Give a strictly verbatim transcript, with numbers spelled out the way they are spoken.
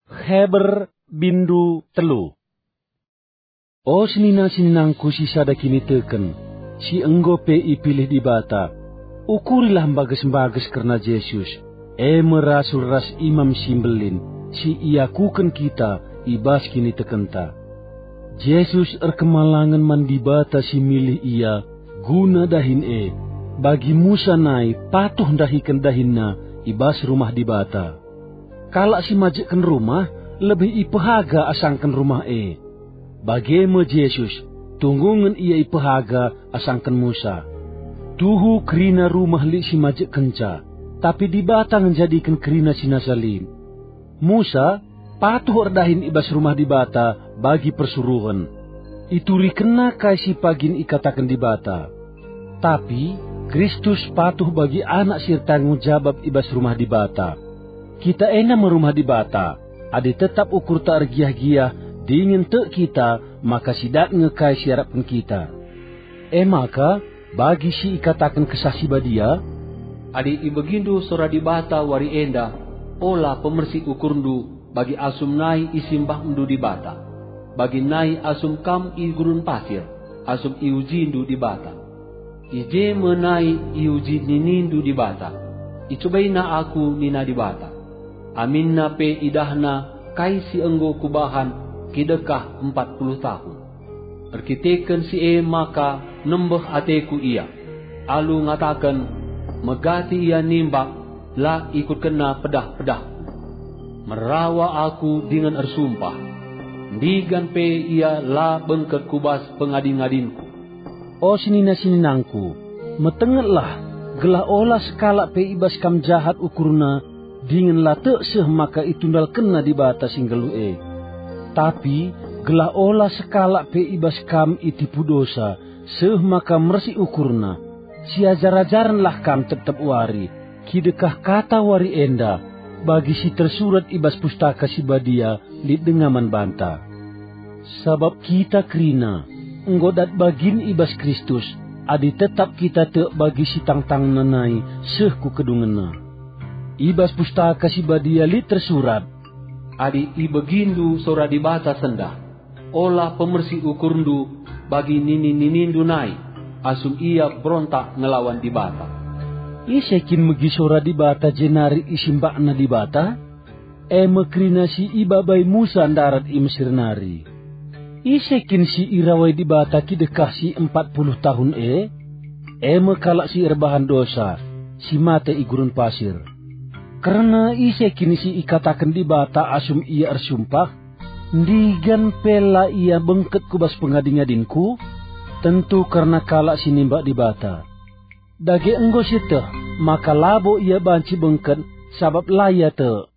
Heber bindu telu. O senina-seninangku si sada kiniteken, si enggo pe ipilih Dibata, ukurilah mbages-mbages kerna Jesus, e me rasul ras Imam si Mbelin, si iakuken kita i bas kinitekenta. Jesus erkemalangen man Dibata si milih ia guna dahin e, bagi Musa nai patuh ndahiken dahinna i bas rumah Dibata. Kalak si majekken rumah lebih ipehaga asangken rumah e. Bage me Jesus, tunggungen ia ipehaga asangken Musa. Tuhu kerina rumah lit si majekkenca, tapi Dibata ngenjadiken kerina si nasa lit. Musa patuh erdahin i bas rumah Dibata bagi persuruhen. Iturikenna kai si pagin ikataken Dibata. Tapi Kristus patuh bagi anak si ertanggung jabap i bas rumah Dibata. Kita enda me rumah Dibata, adi tetap ukurta ergiah-giah dingen tek kita, maka si dat nge kai si iarapken kita. E maka, bagi si ikataken Kesah Si Badia, "Adi ibegindu sora Dibata wari enda, ola pemersi ukurndu bagi asum nai isimbahndu Dibata, bagi nai asum kam i gurun pasir, asum iujindu Dibata. I je me nai iuji ninindu Dibata, 'IcubaIna Aku,' nina Dibata. Aminna pe idahna kai si enggo Kubahan kidekah empat puluh tahun. Erkiteken si e maka nembeh ateKu ia, alu ngataken, 'Megati ia nimbak, la ikutkenna pedah-pedahKu.' Merawa Aku dingen ersumpah, 'Ndigan pe ia la bengket ku bas pengadi-ngadinKu.'" O senina-seninangku, metengetlah, gelah ola sekalak pe i bas kam jahat ukurna, dingen la tek seh maka itundalkenna Dibata si nggeluh e. Tapi gelah ola sekalak pe i bas kam itipu dosa, seh maka mersi ukurna, siajar-ajarenlah kam tep-tep wari, kidekah kata wari enda, bagi si tersurat i bas Pustaka Si Badia lit denga man banta. Sabap kita kerina, enggo dat bagin i bas Kristus, adi tetap kita tek bagi si tangtangna nai seh ku kedungenna. I bas Pustaka Si Badia lit tersurat, "Adi ibegindu sora Dibata sendah, ola pemersi ukurndu bagi nini-ninindu nai, asum ia berontak ngelawan Dibata." Ise kin megi sora Dibata jenari isimbakna Dibata? E me kerina si ibabai Musa ndarat i Mesir nari. Ise kin si irawai Dibata kidekah si empat puluh tahun e? E me kalak si erbahan dosa, si mate i gurun pasir. Kerna ise kin si ikataken Dibata asum ia ersumpah, "Ndigan pe la ia bengket ku bas pengadi-ngadinKu"? Tentu kerna kalak si nimbak Dibata. Dage enggo sieteh maka labo ia banci bengket, sabap la ia tek.